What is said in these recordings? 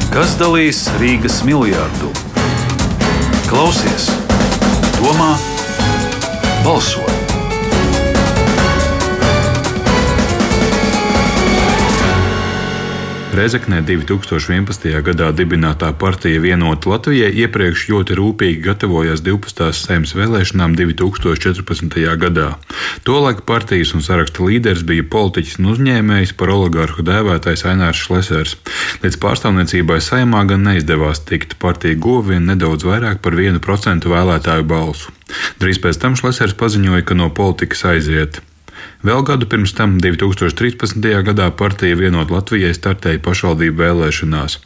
Kas dalīs Rīgas miljardu? Klausies, domā, balso! Rēzeknē 2011. gadā dibinātā partija Vienota Latvijai iepriekš ļoti rūpīgi gatavojās 12. Saeimas vēlēšanām 2014. gadā. Tolaik partijas un saraksta līderis bija politiķis un uzņēmējs, par oligarhu dēvētais Ainārs Šlesers. Līdz pārstāvniecībai Saeimā gan neizdevās tikt, partija guva vien nedaudz vairāk par 1% vēlētāju balsu. Drīz pēc tam Šlesers paziņoja, ka no politikas aiziet. Vēl gadu pirms tam, 2013. gadā, partija Vienota Latvijai startēja pašvaldību vēlēšanās.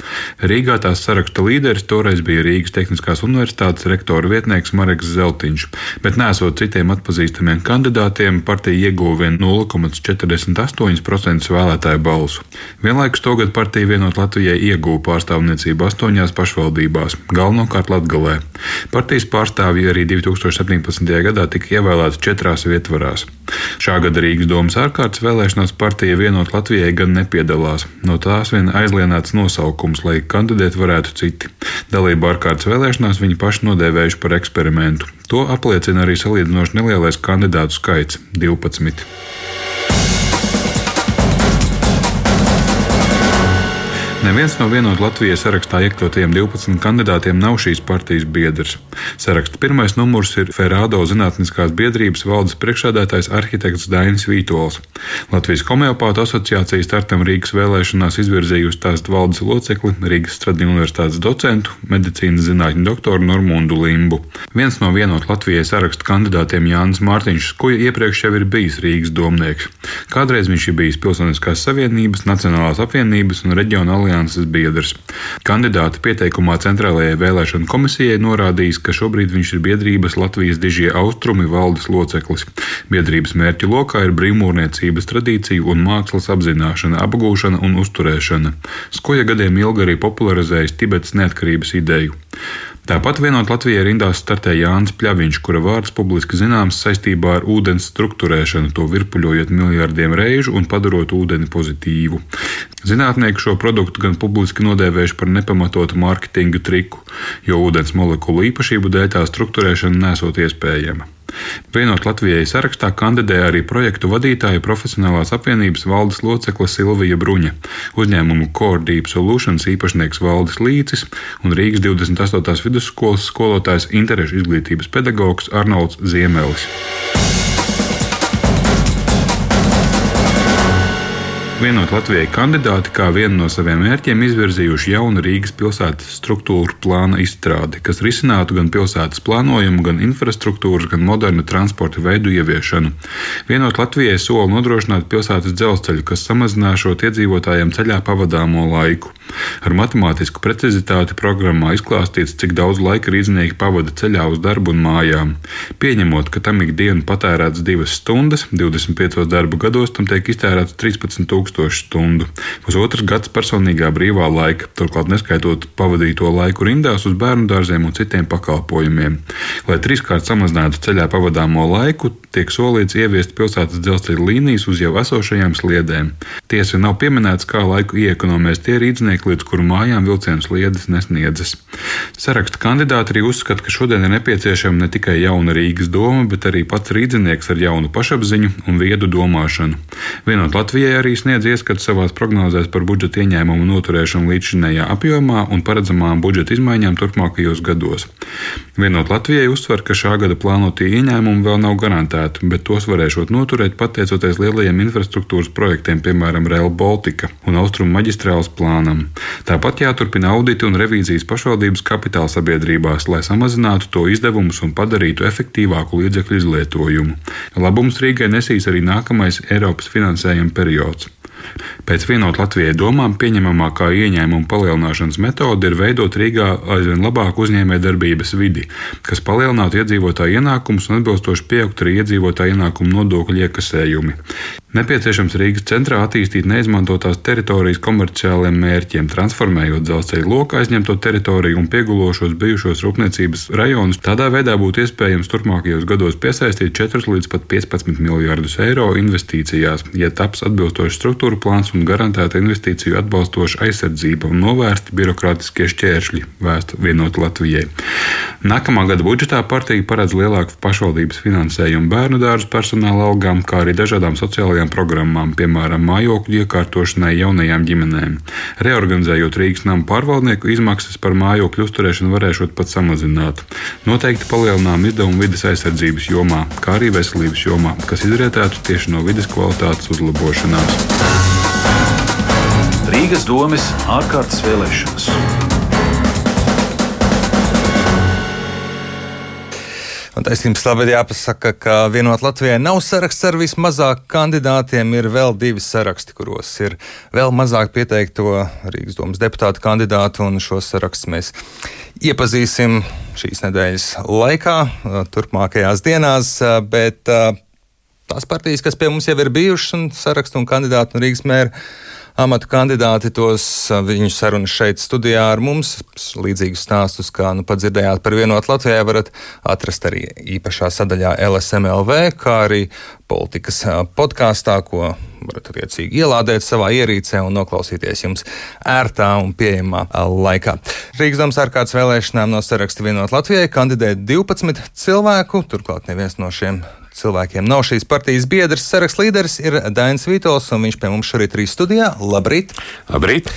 Rīgā tās saraksta līderis toreiz bija Rīgas Tehniskās universitātes rektora vietnieks Mareks Zeltiņš, bet nesot citiem atpazīstamiem kandidātiem, partija ieguva vien 0,48% vēlētāju balsu. Vienlaikus togad partija Vienota Latvijai ieguva pārstāvniecību 8 pašvaldībās, galvenokārt Latgalē. Partijas pārstāvji arī 2017. gadā tika ievēlēti 4 vietvarās. Šā gada Rīgas domas ārkārtas vēlēšanās partija Vienota Latvijai gan nepiedalās. No tās vien aizlienāts nosaukums, lai kandidēt varētu citi. Dalību ārkārtas vēlēšanās viņi paši nodēvējuši par eksperimentu. To apliecina arī salīdzinoši nelielais kandidātu skaits – 12. Neviens no Vienota Latvijai sarakstā iekļautajiem 12 kandidātiem nav šīs partijas biedrs. Saraksta pirmais numurs ir Ferādo zinātniskās biedrības valdes priekšsēdētājs arhitekts Dainis Vītols. Latvijas homeopātu asociācija startam Rīgas vēlēšanās izvirzījusi tās valdes locekli, Rīgas Stradiņu universitātes docentu, medicīnas zinātņu doktoru Normundu Limbu. Viens no Vienota Latvijai saraksta kandidātiem Jānis Mārtiņš Skuja iepriekš jau ir bijis Rīgas domnieks. Kādreiz viņš ir bijis Pilsoniskās savienības, Nacionālās apvienības un reģiona alianses biedrs. Kandidāta pieteikumā Centrālajai vēlēšanu komisijai norādījis, ka šobrīd viņš ir biedrības Latvijas dižie austrumi valdes loceklis. Biedrības mērķu lokā ir brīvmūrniecības tradīciju un mākslas apzināšana, apgūšana un uzturēšana. Skuja gadiem ilgi arī popularizējis Tibetas neatkarības ideju. Tāpat Vienota Latvijai rindās startē Jānis Pļaviņš, kura vārds publiski zināms saistībā ar ūdens strukturēšanu, to virpuļojot miljardiem reižu un padarot ūdeni pozitīvu. Zinātnieki šo produktu gan publiski nodēvējuši par nepamatotu mārketinga triku, jo ūdens molekulu īpašību dēļ tā strukturēšana nesot iespējama. Vienota Latvijai sarakstā kandidē arī projektu vadītāja Profesionālās apvienības valdes locekle Silvija Bruņa, uzņēmumu Core Deep Solutions īpašnieks Valdis Līcis un Rīgas 28. vidusskolas skolotājs interešu izglītības pedagogs Arnolds Ziemelis. Vienota Latvijai kandidāti kā vienu no saviem mērķiem izvirzījuši jaunu Rīgas pilsētas struktūru plāna izstrādi, kas risinātu gan pilsētas plānojumu, gan infrastruktūras, gan modernu transporta veidu ieviešanu. Vienota Latvijai sola nodrošināt pilsētas dzelzceļu, kas samazināšot iedzīvotājiem ceļā pavadāmo laiku. Ar matemātisku precizitāti programmā izklāstīts, cik daudz laika rīznieki pavada ceļā uz darbu un mājām. Pieņemot, ka tam ikdienu patērēts 2 stundas, 25 darba gados tam tiek iztērēts 13,000 stundu. Pusotrs gads personīgā brīvā laika, turklāt neskaitot pavadīto laiku rindās uz bērnu dārziem un citiem pakalpojumiem. Lai 3-kārt samazinātu ceļā pavadāmo laiku, tiek solīts ieviest pilsētas dzelzceļa līnijas uz jau esošajām sliedēm. Tiesa nav pieminēts, kā laiku iekonomēs tie rīdznieki, līdz kuru mājām vilcienu sliedes nesniedzas. Saraksta kandidāti arī uzskata, ka šodien ir nepieciešama ne tikai jauna Rīgas doma, bet arī pats rīdznieks ar jaunu pašapziņu un viedu domāšanu. Vienota Latvijai arī sniedz ieskatu savās prognozēs par budžeta ieņēmumu noturēšanu līdzšinējā apjomā un paredzamām budžeta izmaiņām turpmākajos gados. Vienota Latvijai uzsver, ka šā gada plānotie ieņēmumi vēl nav garantēti, bet tos varēšot noturēt pateicoties lielajiem infrastruktūras projektiem, piemēram, Rail Baltica un Austrumu maģistrāles plānam. Tāpat jāturpina auditi un revīzijas pašvaldības kapitāla sabiedrībās, lai samazinātu to izdevumus un padarītu efektīvāku līdzekļu izlietojumu. Labums Rīgai nesīs arī nākamais Eiropas finansējuma periods. Pēc Vienota Latvijai domām pieņemamākā ieņēmuma palielināšanas metode ir veidot Rīgā aizvien labāku uzņēmējdarbības vidi, kas palielinātu iedzīvotāju ienākumus un atbilstoši pieaugt arī iedzīvotāju ienākumu nodokļu iekasējumi. Nepieciešams Rīgas centrā attīstīt neizmantotās teritorijas komerciāliem mērķiem, transformējot dzelzceļa loku aizņemto teritoriju un piegulošos bijušos rūpniecības rajonus. Tādā veidā būtu iespējams turpmākajos gados piesaistīt 4 līdz pat 15 miljardus eiro investīcijās, ja taps atbilstošs struktūra plāns un garantēta investīciju atbalstoša aizsardzība un novērsti birokrātiskie šķēršļi, vēsta Vienota Latvijai. Nākamā gada budžetā partija paredz lielāku pašvaldības finansējumu bērnu dārzu personāla algām, kā arī dažādām sociālajām programmām, piemēram, mājokļu iekārtošanai jaunajām ģimenēm. Reorganizējot Rīgas namu pārvaldnieku, izmaksas par mājokļu uzturēšanu varēšot pat samazināt. Noteikti palielinām izdevumu vides aizsardzības jomā, kā arī veselības jomā, kas izrietētu tieši no vides kvalitātes uzlabošanās. Rīgas domes ārkārtas vēlēšanas. Un taisnības labāk jāpasaka, ka Vienota Latvijai nav saraksts ar vismazāk kandidātiem. Ir vēl 2 saraksti, kuros ir vēl mazāk pieteikto Rīgas domas deputātu kandidātu, un šos sarakstus mēs iepazīsim šīs nedēļas laikā, turpmākajās dienās, bet tās partijas, kas pie mums jau ir bijušas un sarakstu un kandidātu un Rīgas mēra amatu kandidāti, viņu sarunas šeit studijā ar mums, līdzīgus stāstus, kā pat dzirdējāt par Vienotu Latvijai, varat atrast arī īpašā sadaļā LSMLV, kā arī politikas podkāstā, ko varat attiecīgi ielādēt savā ierīcē un noklausīties jums ērtā un pieejamā laikā. Rīgas domas ārkārtas vēlēšanām no saraksta Vienota Latvijai kandidē 12 cilvēku, turklāt neviens no šiem cilvēkiem nav šīs partijas biedrs. Saraksta līderis ir Dainis Vītols, un viņš pie mums šorīt ir studijā. Labrīt! Labrīt!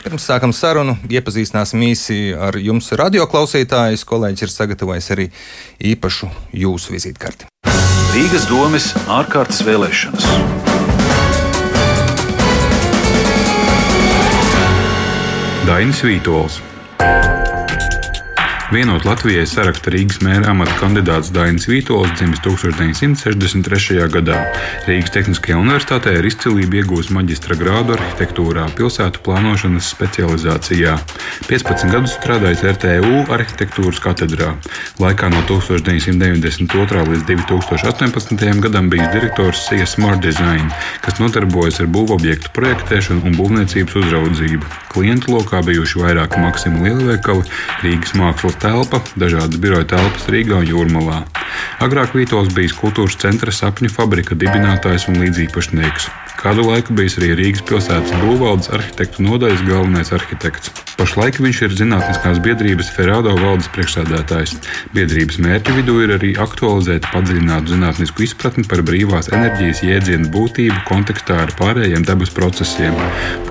Pirms sākam sarunu, iepazīstināsim īsi ar jums radioklausītājus. Kolēģis ir sagatavojis arī īpašu jūsu vizītkarti. Rīgas domes ārkārtas vēlēšanas. Dainis Vītols. Vienot Latvijai saraksta Rīgas mēra amata kandidāts Dainis Vītols dzimis 1963. gadā. Rīgas Tehniskajā universitātē ar izcilību iegūs maģistra grādu arhitektūrā, pilsētu plānošanas specializācijā. 15 gadus strādājis RTU arhitektūras katedrā. Laikā no 1992. līdz 2018. gadam bijis direktors SIA Smart Design, kas nodarbojas ar būvobjektu projektēšanu un būvniecības uzraudzību. Klientu lokā bijuši vairāki Maksima lielveikali, Rīgas mākslas telpa, dažādas biroja telpas Rīgā un Jūrmalā. Agrāk Vītols bijis kultūras centra Sapņu fabrika dibinātājs un līdzīpašnieks. Kādu laiku bijis arī Rīgas pilsētas būvvaldes arhitektu nodaļas galvenais arhitekts. Pašlaik viņš ir Zinātniskās biedrības Ferrado valdes priekšsēdētājs. Biedrības mērķu vidū ir arī aktualizēt padziļinātu zinātnisku izpratni par brīvās enerģijas jēdzienu būtību kontekstā ar pārējiem dabas procesiem,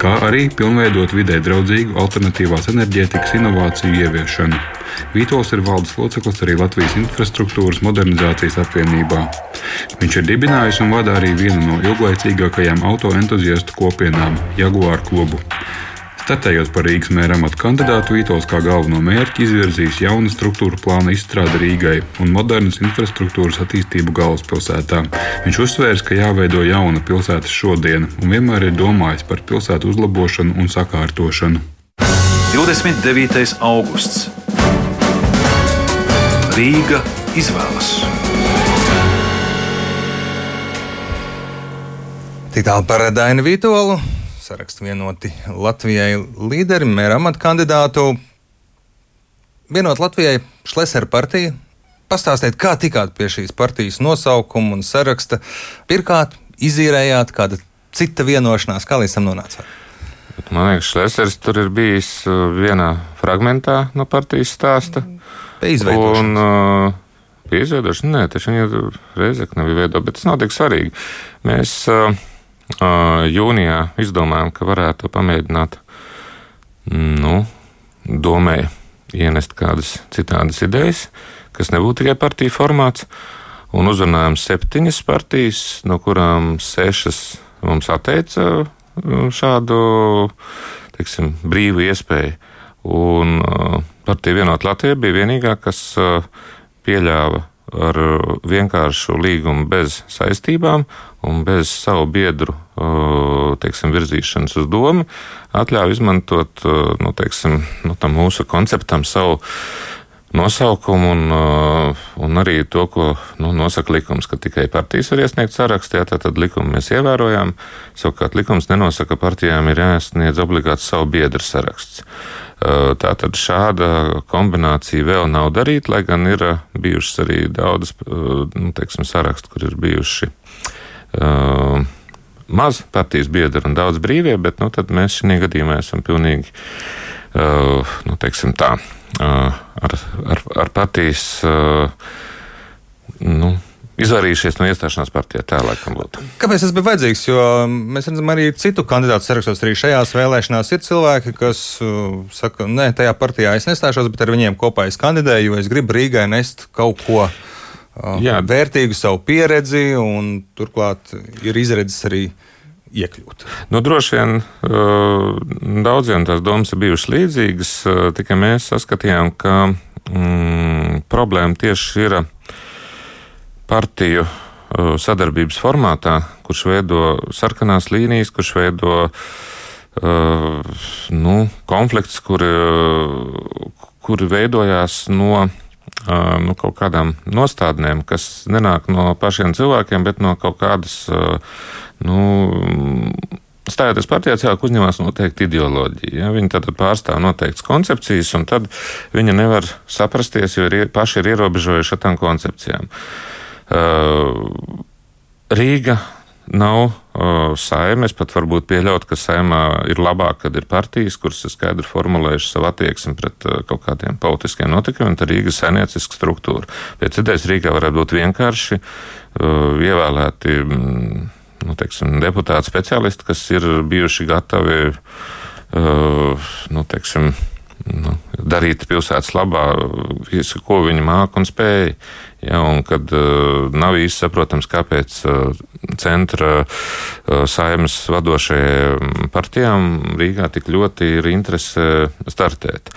kā arī pilnveidot vidē draudzīgu alternatīvās enerģētikas inovāciju ieviešanu. Vītols ir valdes loceklis arī Latvijas infrastruktūras modernizācijas apvienībā. Viņš ir dibinājis un vada arī vienu no ilglaicīgākajām autoentuziastu kopienām – Jaguar klubu. Startējot par Rīgas mēra amata kandidātu, Vītols kā galveno mērķi izvirzījis jaunu struktūra plāna izstrādi Rīgai un modernas infrastruktūras attīstību galvaspilsētā. Viņš uzsvērs, ka jāveido jauna pilsētas šodiena un vienmēr ir domājis par pilsētu uzlabošanu un sakārtošanu. 29. augusts. Rīga izvēlas. Tik tālu par Dainu Vītolu, saraksta Vienoti Latvijai līderi, mēra amata kandidātu. Vienot Latvijai Šlesera partija. Pastāstiet, kā tikāt pie šīs partijas nosaukuma un saraksta? Pirkāt, izīrējāt, kāda cita vienošanās, kā līdz tam nonācāt? Man liekas, Šlesers tur ir bijis vienā fragmentā no partijas stāsta. Pie izveidošanas. Pie izveidošanas? Nē, taču viņi ir Reizekne bija veidot, bet tas nav tik svarīgi. Mēs jūnijā izdomājām, ka varētu pamēģināt, domē ienest kādas citādas idejas, kas nebūtu tikai partiju formāts, un uzrunājām 7 partijas, no kurām 6 mums atteica šādu, teiksim, brīvu iespēju. Un partija Vienot Latviju bija vienīgā, kas pieļāva ar vienkāršu līgumu bez saistībām un bez savu biedru, teiksim, virzīšanas uz domu, atļauj izmantot, tam mūsu konceptam savu nosaukumu un arī to, ko nosaka likums, ka tikai partijas var iesniegt sarakstu, tad likumu mēs ievērojām. Savukārt likums nenosaka, ka partijām ir jāsniedz obligāti savu biedru saraksts. Tātad šāda kombinācija vēl nav darīta, lai gan ir bijušas arī daudzas, sarakstu, kur ir bijuši maz partijas biedri un daudz brīvie, bet tad mēs šī gadījumā esam pilnīgi, ar partijas, izvairījušies no iestāšanās partijā. Tā laikam būtu. Kāpēc tas bija vajadzīgs? Jo mēs redzam arī citu kandidātu sarakstos, arī šajās vēlēšanās ir cilvēki, kas saka, nē, tajā partijā es nestāšos, bet ar viņiem kopā es kandidēju, jo es gribu Rīgai nest kaut ko vērtīgu, savu pieredzi, un turklāt ir izredzes arī iekļūt. Droši vien daudziem tās domas ir bijušas līdzīgas, tikai mēs saskatījām, ka problēma tieši ir partiju sadarbības formātā, kurš veido sarkanās līnijas, kurš veido konflikts, kuri veidojās no kaut kādām nostādnēm, kas nenāk no pašiem cilvēkiem, bet no kaut kādas, stājoties partijā, cilvēki uzņemās noteikti ideoloģiju. Ja? Viņi tad pārstāv noteiktas koncepcijas, un tad viņi nevar saprasties, jo paši ir ierobežojuši ar tām koncepcijām. Rīga nav saime. Es pat varbūt pieļautu, ka saimā ir labāk, kad ir partijas, kuras ir skaidri formulējuši savu attieksmi pret kaut kādiem politiskiem notikumiem, tad Rīga saimnieciska struktūra. Pēc idejas Rīgā varētu būt vienkārši ievēlēti deputāti speciālisti, kas ir bijuši gatavi darīt pilsētas labā visu, ko viņi māk un spēj. Ja, un kad nav īsti saprotams, kāpēc centra saimnes vadošajām partijām Rīgā tik ļoti ir interese startēt.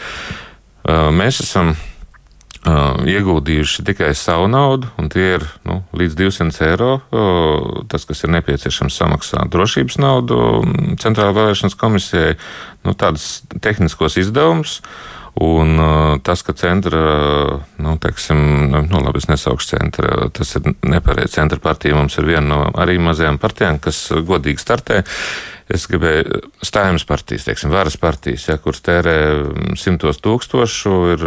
Mēs esam ieguldījuši tikai savu naudu, un tie ir līdz 200 eiro. Tas, kas ir nepieciešams samaksāt drošības naudu Centrālajai vēlēšanas komisijai, tādus tehniskos izdevumus. Un tas, ka centra, labi, es nesaukšu centra, tas ir nepareizi. Centra partija mums ir viena no arī mazajām partijām, kas godīgi startē. Es gribēju Saeimas partijas, varas partijas, kuras tērē 100 000, ir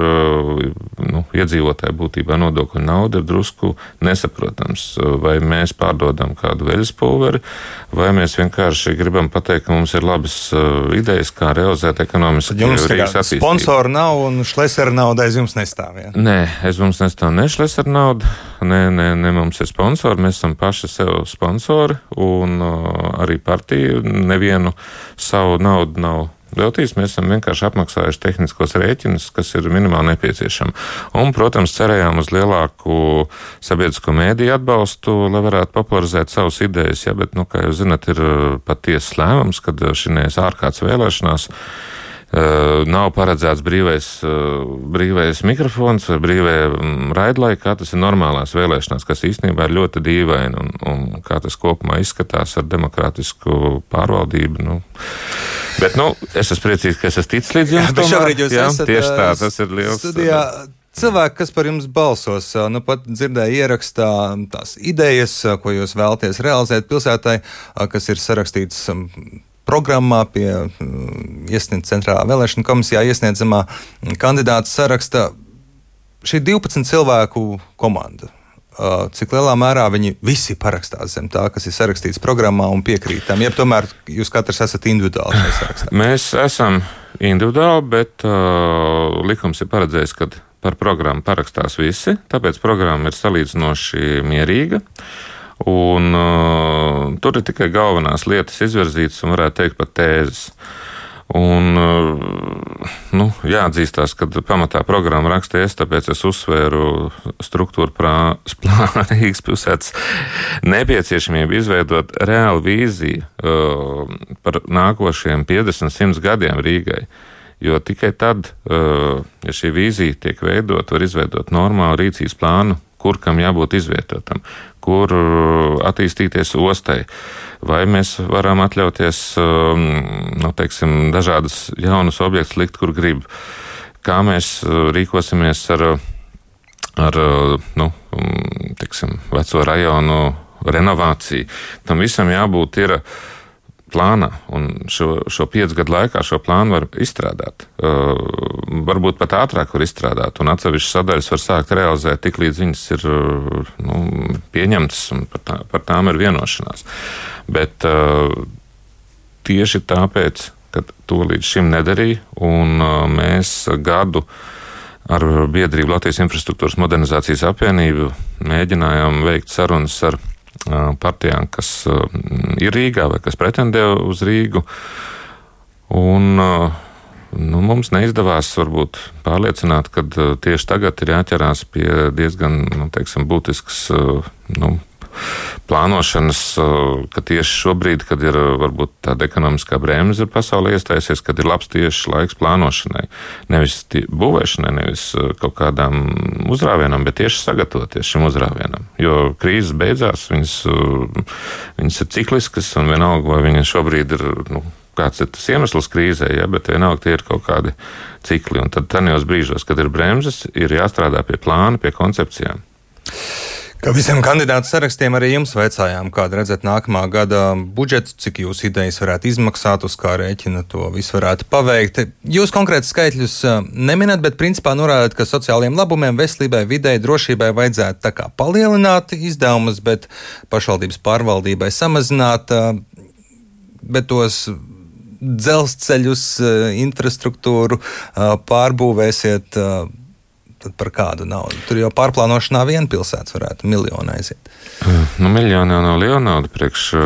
iedzīvotāju būtībā nodokļu nauda, ir drusku nesaprotams. Vai mēs pārdodam kādu veļas pulveri, vai mēs vienkārši gribam pateikt, ka mums ir labas idejas, kā realizēt ekonomiski Rīgas attīstību. Sponsoru nav un Šlesera nauda aiz jums nestāv, ja? Nē, aiz mums nestāv ne Šlesera nauda, ne mums ir sponsori, mēs esam paši sev sponsori, un arī partija nevienu savu naudu nav veltījis. Mēs esam vienkārši apmaksājuši tehniskos rēķinus, kas ir minimāli nepieciešami. Un, protams, cerējām uz lielāku sabiedrisko mēdīju atbalstu, lai varētu popularizēt savas idejas. Ja, bet, kā jūs zināt, ir pat tiesas lēmums, kad šīs ārkārtas vēlēšanās nav paredzēts brīvais mikrofons vai brīvē raidlaika, tas ir normālās vēlēšanās, kas īstenībā ir ļoti dīvaini un kā tas kopumā izskatās ar demokrātisku pārvaldību. Bet, es esmu priecīgs, ka es esmu ticis līdz jums. Tieši tā, tas ir liels. Studijā. Cilvēki, kas par jums balsos, pat dzirdēja ierakstā tās idejas, ko jūs vēlaties realizēt pilsētai, kas ir sarakstīts programmā pie Centrālā vēlēšana komisijā iesniedzamā kandidāta saraksta. Šī 12 cilvēku komanda, cik lielā mērā viņi visi parakstās zem tā, kas ir sarakstīts programmā un piekrītam, ja tomēr jūs katrs esat individuāli sarakstā? Mēs esam individuāli, bet likums ir paredzējis, ka par programmu parakstās visi, tāpēc programma ir salīdzinoši mierīga. Un tur ir tikai galvenās lietas izvirzītas un varētu teikt pat tēzes. Un jāatzīstās, ka pamatā programma raksta es, tāpēc es uzsvēru struktūru plāna Rīgas pilsētas nepieciešamību izveidot reālu vīziju par nākošiem 50-100 gadiem Rīgai. Jo tikai tad, ja šī vīzija tiek veidot, var izveidot normālu rīcības plānu, kur kam jābūt izvietotam, kur attīstīties ostai. Vai mēs varam atļauties, dažādas jaunas objektus likt, kur grib. kā mēs rīkosimies ar veco rajonu renovāciju. Tam visam jābūt ir plānā, un šo 5 gadu laikā šo plānu var izstrādāt. Varbūt pat ātrāk var izstrādāt, un atsevišķas sadaļas var sākt realizēt tik līdz viņas ir pieņemtas, un par tām ir vienošanās. Bet tieši tāpēc, ka to līdz šim nedarīja, un mēs gadu ar biedrību Latvijas infrastruktūras modernizācijas apvienību mēģinājām veikt sarunas ar partijām, kas ir Rīgā vai kas pretendē uz Rīgu. Un mums neizdevās varbūt pārliecināt, ka tieši tagad ir jāķerās pie diezgan, būtiskas plānošanas, ka tieši šobrīd, kad ir varbūt tāda ekonomiskā bremze pasaulē iestājusies, kad ir labs tieši laiks plānošanai. Nevis būvēšanai, nevis kaut kādām uzrāvienam, bet tieši sagatavoties šim uzrāvienam. Jo krīzes beidzās, viņas ir cikliskas, un vienalga, vai viņa šobrīd ir, kāds ir tas iemesls krīzē, bet vienalga tie ir kaut kādi cikli. Un tad tajos brīžos, kad ir bremzes, ir jāstrādā pie plāna, pie koncepcijām. Kā visiem kandidātu sarakstiem arī jums vaicājām, kāda redzat nākamā gada budžetu, cik jūs idejas varētu izmaksāt, uz kā rēķina to visu varētu paveikt. Jūs konkrēti skaitļus neminat, bet principā norādāt, ka sociālajiem labumiem, veselībai, videi, drošībai vajadzētu tā kā palielināt izdevumus, bet pašvaldības pārvaldībai samazināt, bet tos dzelzceļus, infrastruktūru pārbūvēsiet. Tad par kādu naudu? Tur jau pārplānošanā viena pilsēta varētu miljonu aiziet. Miljoni jau nav liela nauda. Priekš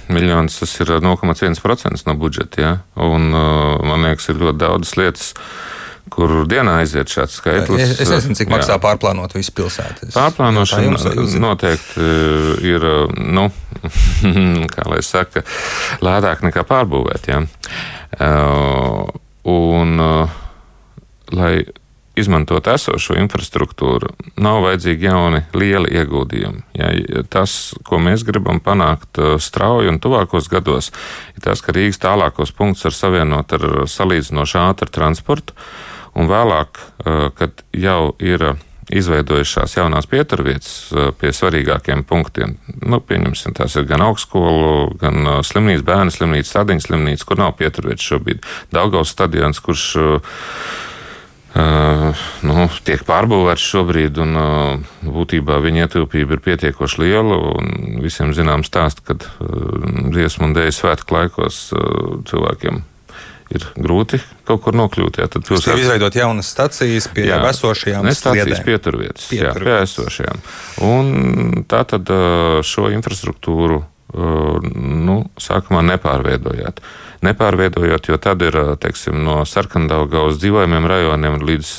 miljonus tas ir 0,1% no budžeta. Ja? Un man liekas, ir ļoti daudzas lietas, kur dienā aiziet šāds skaitlis. Es nezinu, cik maksā pārplānot visu pilsētu. Pārplānošana noteikti ir, kā lai saka, lētāk nekā pārbūvēt. Ja? Lai izmantot esošo infrastruktūru, nav vajadzīgi jauni lieli ieguldījumi. Ja, tas, ko mēs gribam panākt strauji un tuvākos gados, ir tas, ka Rīgas tālākos punktus var savienot ar salīdzinoši ātru transportu, un vēlāk, kad jau ir izveidojušās jaunās pieturvietas pie svarīgākiem punktiem, pieņemsim, tās ir gan augstskolu, gan slimnīca, bērnu slimnīca, Sadiņas slimnīca, kur nav pieturvietas šobrīd, Daugavas stadions, kurš tiek pārbūvēts šobrīd, un būtībā viņa ietilpība ir pietiekoši liela, un visiem zinām stāst, kad dziesmu un dēļu svētku laikos cilvēkiem ir grūti kaut kur nokļūt. Jā, tad pilsētas izveidot jaunas stacijas pie jau esošajām stacijas pieturvietas. Jā, pie esošajām. Un tā tad šo infrastruktūru sākumā nepārveidojot, jo tad ir, no Sarkandaugavas dzīvojumiem rajoniem līdz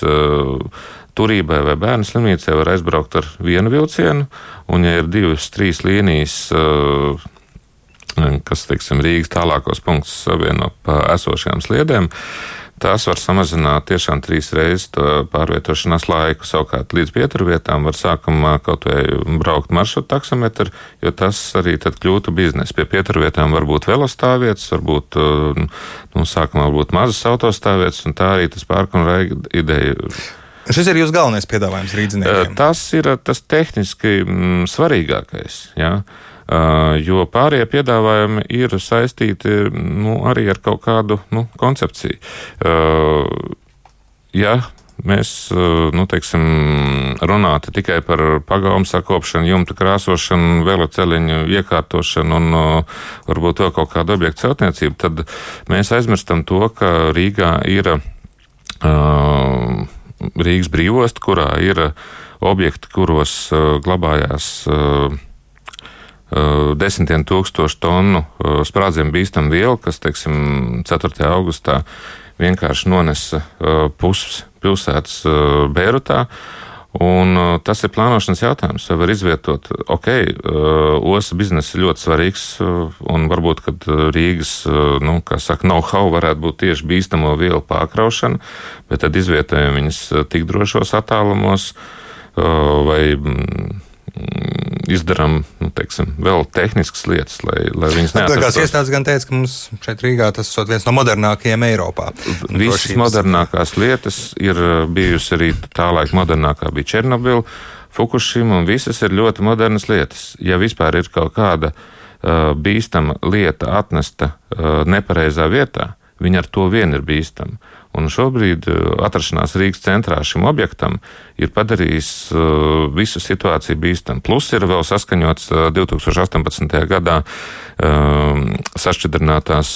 Turībai vai bērnu slimnīcai var aizbraukt ar vienu vilcienu, un ja ir 2-3 līnijas, kas, Rīgas tālākos punktus savieno pa esošajām sliedēm, tās var samazināt tiešām 3 reizes pārvietošanās laiku. Savukārt līdz pieturvietām var sākumā kaut vai braukt maršrutu taksometru, jo tas arī tad kļūtu biznes. Pie pieturvietām var būt velostāvvietas, varbūt sākumā varbūt mazas autostāvvietas, un tā arī tas Park un Ride ideja. Šis ir jūsu galvenais piedāvājums rīdziniekiem? Tas ir tas tehniski svarīgākais, jā. Jo pārējie piedāvājumi ir saistīti arī ar kaut kādu koncepciju. Ja mēs runātu tikai par pagalmu sakopšanu, jumta krāsošanu, veloceliņu iekārtošanu un varbūt vēl kaut kādu objektu celtniecību, tad mēs aizmirstam to, ka Rīgā ir Rīgas brīvosta, kurā ir objekti, kuros glabājās desmitiem tūkstošu tonu sprādzienu bīstamu vielu, kas, 4. augustā vienkārši nonesa puses pilsētas Beirutā. Un tas ir plānošanas jautājums. Vai var izvietot, ostas biznesa ir ļoti svarīgs, un varbūt, kad Rīgas, know-how varētu būt tieši bīstamo vielu pārkraušana, bet tad izvietojam viņas tik drošos attālumos, vai izdarām, vēl tehniskas lietas, lai viņas neatrastos. Tās iestādes gan teica, ka mums šeit Rīgā tas ir viens no modernākajiem Eiropā. Visas modernākās lietas ir bijusi arī tā laika modernākā bija Černobila, Fukushima, un visas ir ļoti modernas lietas. Ja vispār ir kaut kāda bīstama lieta atnesta nepareizā vietā, viņa ar to vien ir bīstama. Un šobrīd atrašanās Rīgas centrā šim objektam ir padarījis visu situāciju bīstamu. Plus ir vēl saskaņots 2018. gadā sašķidrinātās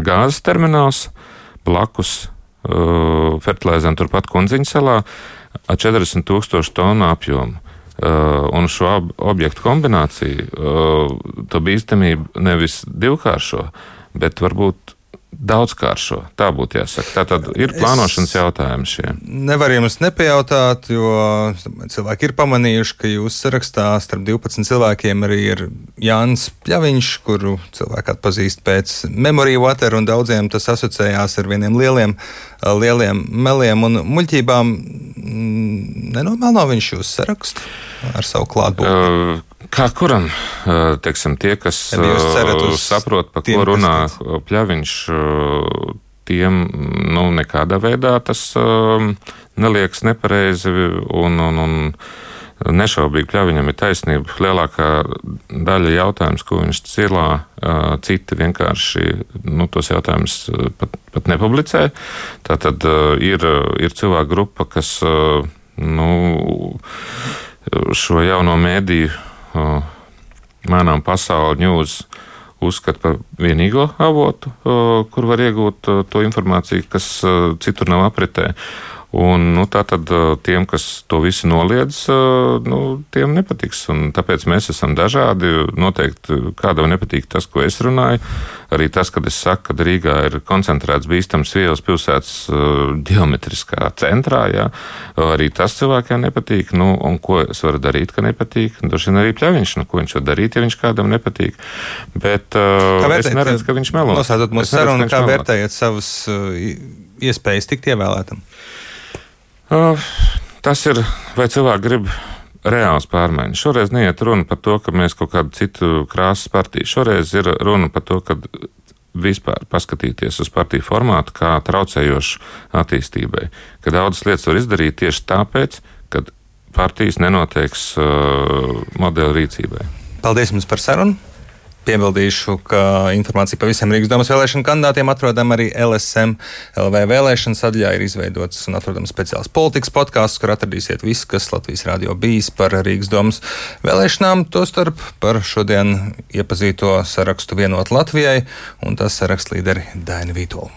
gāzes termināls blakus fertilizēm turpat Kundziņu salā ar 40,000 tonu apjomu. Un šo objektu kombināciju to bīstamību nevis divkāršo, bet varbūt daudzkāršo. Tā būtu jāsaka. Tātad ir plānošanas jautājumi šie. Nevar jums nepajautāt, jo cilvēki ir pamanījuši, ka jūsu sarakstā starp 12 cilvēkiem arī ir Jānis Pļaviņš, kuru cilvēki atpazīst pēc Memory Water, un daudziem tas asociējās ar vieniem lieliem meliem un muļķībām. Nenomelno viņš jūsu sarakstu ar savu klātbūtni? Kā kuram, tie, kas saprot, pa ko runā Pļaviņš, tiem nekādā veidā tas neliekas nepareizi un nešaubīgi Pļaviņam ir taisnība. Lielākā daļa jautājums, ko viņš cilā, citi vienkārši tos jautājumus pat nepublicē. Tātad ir cilvēku grupa, kas šo jauno mēdīju Mēnām pasauli news uzskata par vienīgo avotu, kur var iegūt to informāciju, kas citur nav apritē. Un tātad tiem, kas to visu noliedz, tiem nepatiks. Un tāpēc mēs esam dažādi. Noteikti kādam nepatīk tas, ko es runāju. Arī tas, kad es saku, ka Rīgā ir koncentrēts bīstams vielas pilsētas ģeometriskā centrā, jā. Arī tas cilvēkiem nepatīk. Un ko es varu darīt, ka nepatīk? Droši vien arī Pļaviņš, ko viņš var darīt, ja viņš kādam nepatīk. Bet es neredzu, ka viņš melo. Noslēdzot mūsu sarunu, kā vērtējat savas iespējas tikt ievēlētam? Tas ir, vai cilvēki grib reāls pārmaiņas. Šoreiz neiet runa par to, ka mēs kaut kādu citu krāsas partiju. Šoreiz ir runa par to, ka vispār paskatīties uz partiju formātu kā traucējošu attīstībai. Ka daudzas lietas var izdarīt tieši tāpēc, ka partijas nenoteiks modeli rīcībai. Paldies jums par sarunu. Piebildīšu, ka informācija par visiem Rīgas domas vēlēšanu kandidātiem atrodam arī LSM LV vēlēšanu sadaļā. Ir izveidots un atrodams speciāls politikas podkāsts, kur atradīsiet visu, kas Latvijas radio bijis par Rīgas domas vēlēšanām, tostarp par šodien iepazīto sarakstu Vienot Latvijai un tās saraksta līderi Dainu Vītolu.